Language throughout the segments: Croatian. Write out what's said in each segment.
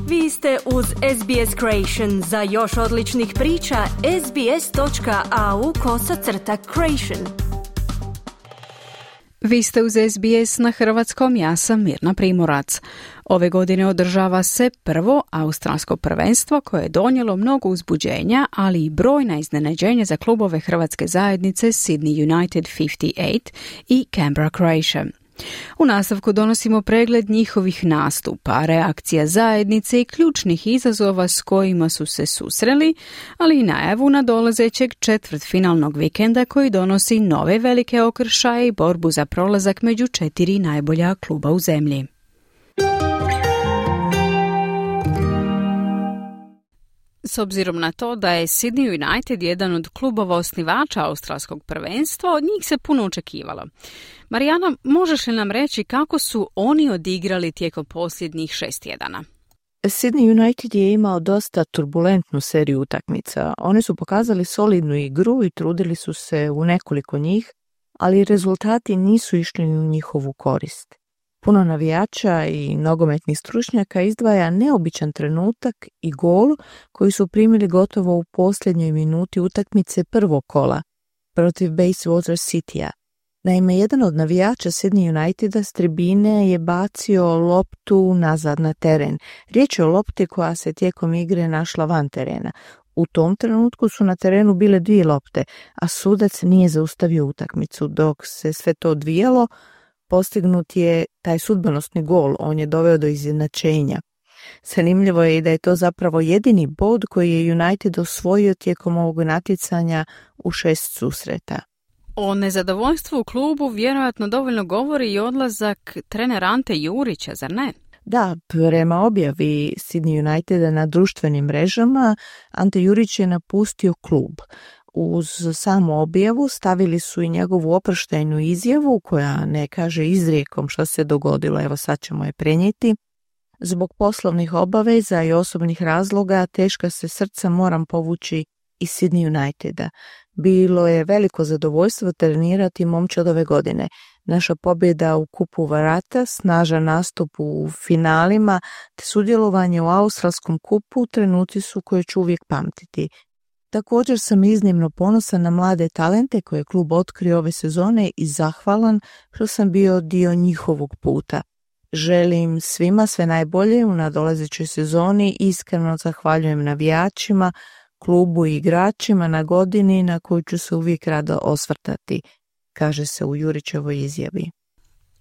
Vi ste uz SBS Creation. Za još odličnih priča, sbs.au/creation. Vi ste uz SBS na hrvatskom, ja sam Mirna Primorac. Ove godine održava se prvo australsko prvenstvo koje je donijelo mnogo uzbuđenja, ali i brojna iznenađenja za klubove hrvatske zajednice Sydney United 58 i Canberra Croatia. U nastavku donosimo pregled njihovih nastupa, reakcija zajednice i ključnih izazova s kojima su se susreli, ali i najavu nadolazećeg četvrtfinalnog vikenda koji donosi nove velike okršaje i borbu za prolazak među 4 najbolja kluba u zemlji. S obzirom na to da je Sydney United jedan od klubova osnivača australskog prvenstva, od njih se puno očekivalo. Marijana, možeš li nam reći kako su oni odigrali tijekom posljednjih 6 tjedana? Sydney United je imao dosta turbulentnu seriju utakmica. Oni su pokazali solidnu igru i trudili su se u nekoliko njih, ali rezultati nisu išli u njihovu korist. Puno navijača i nogometnih stručnjaka izdvaja neobičan trenutak i gol koji su primili gotovo u posljednjoj minuti utakmice prvog kola protiv Bayswater Citya. Naime, jedan od navijača Sydney Uniteda s tribine je bacio loptu nazad na teren. Riječ je o lopti koja se tijekom igre našla van terena. U tom trenutku su na terenu bile 2 lopte, a sudac nije zaustavio utakmicu. Dok se sve to odvijalo, postignut je taj sudbonosni gol, on je doveo do izjednačenja. Zanimljivo je i da je to zapravo jedini bod koji je United osvojio tijekom ovog natjecanja u 6 susreta. O nezadovoljstvu u klubu vjerojatno dovoljno govori i odlazak trenera Ante Jurića, zar ne? Da, prema objavi Sydney Uniteda na društvenim mrežama, Ante Jurić je napustio klub. Uz samu objavu stavili su i njegovu oproštajnu izjavu koja ne kaže izrijekom što se dogodilo, evo sad ćemo je prenijeti. Zbog poslovnih obaveza i osobnih razloga teška se srca moram povući iz Sydney Uniteda. Bilo je veliko zadovoljstvo trenirati momčad ove godine. Naša pobjeda u kupu Varata, snažan nastup u finalima te sudjelovanje u australskom kupu trenuci su koje ću uvijek pamtiti. Također sam iznimno ponosan na mlade talente koje je klub otkrio ove sezone i zahvalan što sam bio dio njihovog puta. Želim svima sve najbolje u nadolazećoj sezoni i iskreno zahvaljujem navijačima, klubu i igračima na godini na koju ću se uvijek rado osvrtati, kaže se u Jurićevoj izjavi.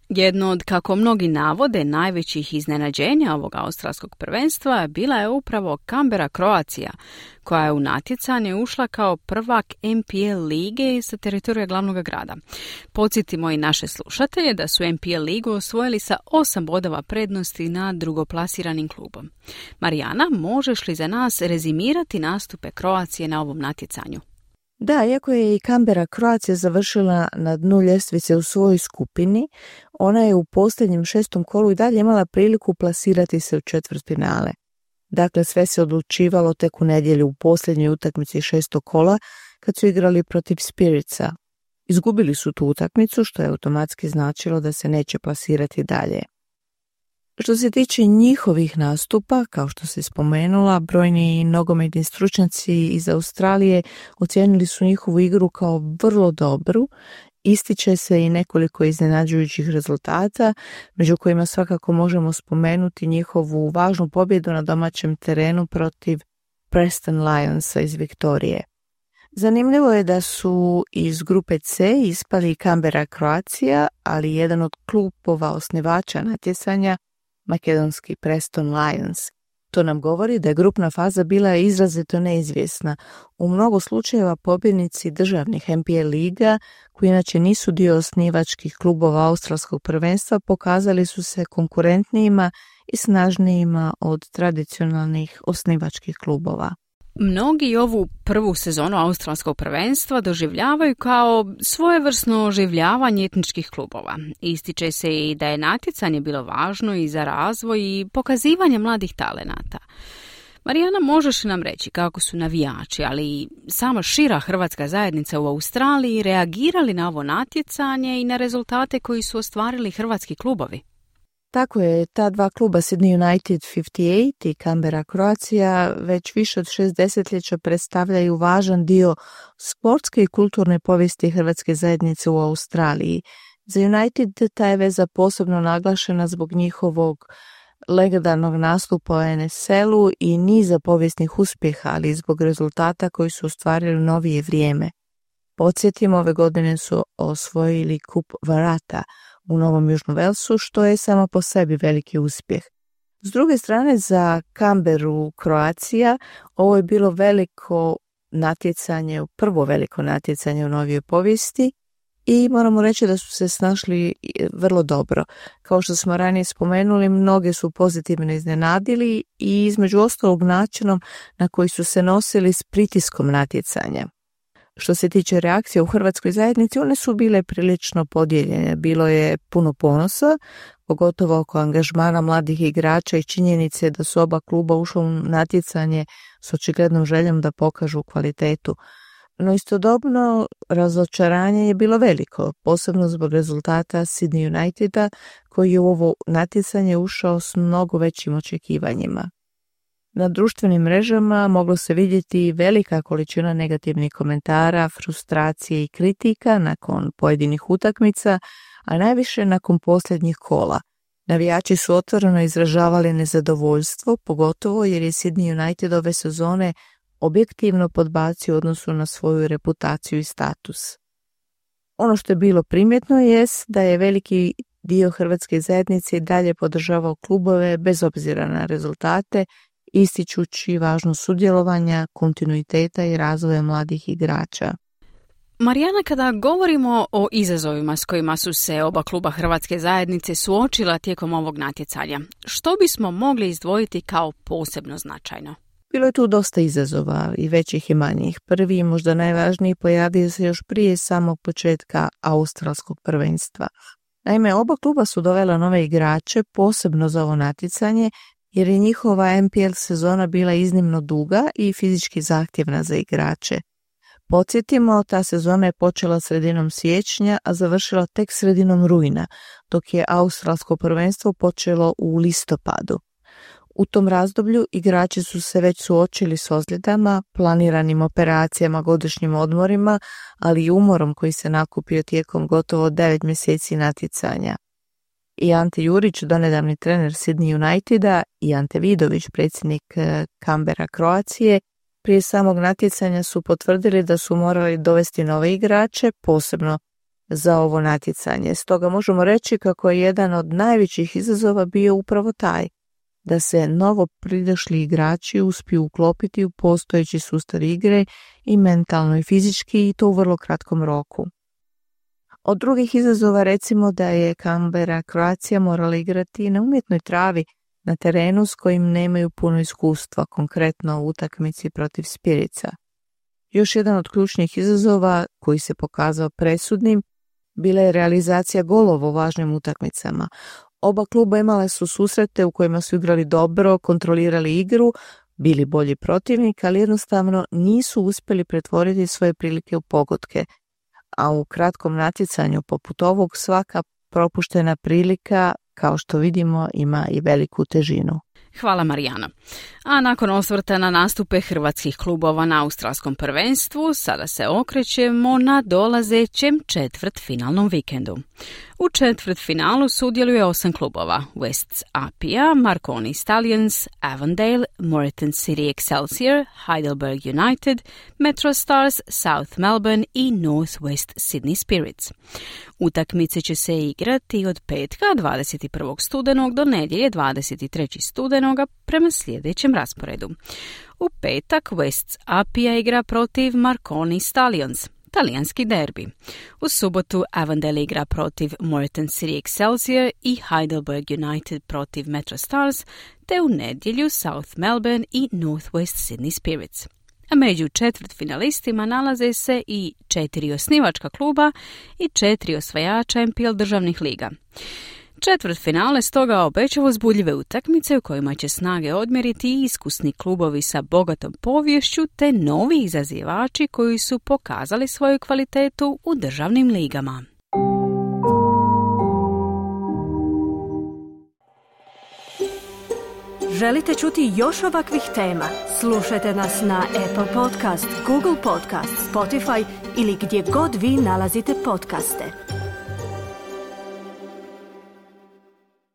Jedno od, kako mnogi navode, najvećih iznenađenja ovog australskog prvenstva bila je upravo Canberra Croatia, koja je u natjecanje ušla kao prvak NPL lige sa teritorija glavnog grada. Podsjetimo i naše slušatelje da su NPL ligu osvojili sa 8 bodova prednosti na drugoplasiranim klubom. Marijana, možeš li za nas rezimirati nastupe Croacije na ovom natjecanju? Da, iako je i Canberra Croatia završila na dnu ljestvice u svojoj skupini, ona je u posljednjem 6. kolu i dalje imala priliku plasirati se u četvrtfinale. Dakle, sve se odlučivalo tek u nedjelju u posljednjoj utakmici 6. kola kad su igrali protiv Spiritsa. Izgubili su tu utakmicu, što je automatski značilo da se neće plasirati dalje. Što se tiče njihovih nastupa, kao što se spomenula, brojni nogometni stručnjaci iz Australije ocijenili su njihovu igru kao vrlo dobru. Ističe se i nekoliko iznenađujućih rezultata, među kojima svakako možemo spomenuti njihovu važnu pobjedu na domaćem terenu protiv Preston Lionsa iz Viktorije. Zanimljivo je da su iz grupe C ispali Canberra Croatia, ali jedan od klubova osnivača natjecanja, makedonski Preston Lions. To nam govori da je grupna faza bila izrazito neizvjesna. U mnogo slučajeva pobjednici državnih NPL liga, koji inače nisu dio osnivačkih klubova australskog prvenstva, pokazali su se konkurentnijima i snažnijima od tradicionalnih osnivačkih klubova. Mnogi ovu prvu sezonu australskog prvenstva doživljavaju kao svojevrsno oživljavanje etničkih klubova. Ističe se i da je natjecanje bilo važno i za razvoj i pokazivanje mladih talenata. Marijana, možeš li nam reći kako su navijači, ali i sama šira hrvatska zajednica u Australiji reagirali na ovo natjecanje i na rezultate koji su ostvarili hrvatski klubovi? Tako je, ta dva kluba Sydney United 58 i Canberra Croatia već više od 6 desetljeća predstavljaju važan dio sportske i kulturne povijesti hrvatske zajednice u Australiji. Za United ta je veza posebno naglašena zbog njihovog legendarnog nastupa u NSL-u i niza povijesnih uspjeha, ali i zbog rezultata koji su ostvarili u novije vrijeme. Podsjetimo, ove godine su osvojili kup Varata u Novom Južnom Velsu, što je samo po sebi veliki uspjeh. S druge strane, za Canberru Croatia ovo je bilo prvo veliko natjecanje u novijoj povijesti i moramo reći da su se snašli vrlo dobro. Kao što smo ranije spomenuli, mnoge su pozitivno iznenadili i između ostalog načinom na koji su se nosili s pritiskom natjecanja. Što se tiče reakcije u hrvatskoj zajednici, one su bile prilično podijeljene. Bilo je puno ponosa, pogotovo oko angažmana mladih igrača i činjenice da su oba kluba ušla u natjecanje s očiglednom željom da pokažu kvalitetu. No istodobno razočaranje je bilo veliko, posebno zbog rezultata Sydney Uniteda koji je u ovo natjecanje ušao s mnogo većim očekivanjima. Na društvenim mrežama moglo se vidjeti velika količina negativnih komentara, frustracije i kritika nakon pojedinih utakmica, a najviše nakon posljednjih kola. Navijači su otvoreno izražavali nezadovoljstvo, pogotovo jer je Sydney United ove sezone objektivno podbacio u odnosu na svoju reputaciju i status. Ono što je bilo primjetno jest da je veliki dio hrvatske zajednice i dalje podržavao klubove bez obzira na rezultate, ističući važnost sudjelovanja, kontinuiteta i razvoja mladih igrača. Marijana, kada govorimo o izazovima s kojima su se oba kluba hrvatske zajednice suočila tijekom ovog natjecanja, što bismo mogli izdvojiti kao posebno značajno? Bilo je tu dosta izazova i većih i manjih. Prvi i možda najvažniji pojavio se još prije samog početka australskog prvenstva. Naime, oba kluba su dovela nove igrače posebno za ovo natjecanje jer je njihova NPL sezona bila iznimno duga i fizički zahtjevna za igrače. Podsjetimo, ta sezona je počela sredinom siječnja, a završila tek sredinom rujna, dok je australsko prvenstvo počelo u listopadu. U tom razdoblju igrači su se već suočili s ozljedama, planiranim operacijama, godišnjim odmorima, ali i umorom koji se nakupio tijekom gotovo 9 mjeseci natjecanja. I Ante Jurić, donedavni trener Sydney Uniteda, i Ante Vidović, predsjednik Canberra Croacije, prije samog natjecanja su potvrdili da su morali dovesti nove igrače, posebno za ovo natjecanje. Stoga možemo reći kako je jedan od najvećih izazova bio upravo taj, da se novo pridošli igrači uspiju uklopiti u postojeći sustav igre i mentalno i fizički, i to u vrlo kratkom roku. Od drugih izazova recimo da je Canberra Croatia morala igrati na umjetnoj travi na terenu s kojim nemaju puno iskustva, konkretno u utakmici protiv Spiritsa. Još jedan od ključnih izazova koji se pokazao presudnim bila je realizacija golova u važnim utakmicama. Oba kluba imale su susrete u kojima su igrali dobro, kontrolirali igru, bili bolji protivnik, ali jednostavno nisu uspjeli pretvoriti svoje prilike u pogodke. A u kratkom natjecanju poput ovog svaka propuštena prilika, kao što vidimo, ima i veliku težinu. Hvala Marijana. A nakon osvrta na nastupe hrvatskih klubova na australskom prvenstvu, sada se okrećemo na dolazećem četvrtfinalnom vikendu. U četvrtfinalu sudjeluje 8 klubova: Wests Apia, Marconi Stallions, Avondale, Moreton City Excelsior, Heidelberg United, Metro Stars, South Melbourne i North West Sydney Spirits. Utakmice će se igrati od petka 21. studenog do nedjelje 23. studenoga prema sljedećem rasporedu. U petak Wests Apia igra protiv Marconi Stallions, talijanski derbi. U subotu Avondale igra protiv Moreton City Excelsior i Heidelberg United protiv Metro Stars, te u nedjelju South Melbourne i North West Sydney Spirits. A među četvrtfinalistima nalaze se i 4 osnivačka kluba i 4 osvajača NPL državnih liga. Četvrtfinale stoga obećava uzbudljive utakmice u kojima će snage odmjeriti i iskusni klubovi sa bogatom poviješću te novi izazivači koji su pokazali svoju kvalitetu u državnim ligama. Želite čuti još ovakvih tema? Slušajte nas na Apple Podcast, Google Podcast, Spotify ili gdje god vi nalazite podcaste.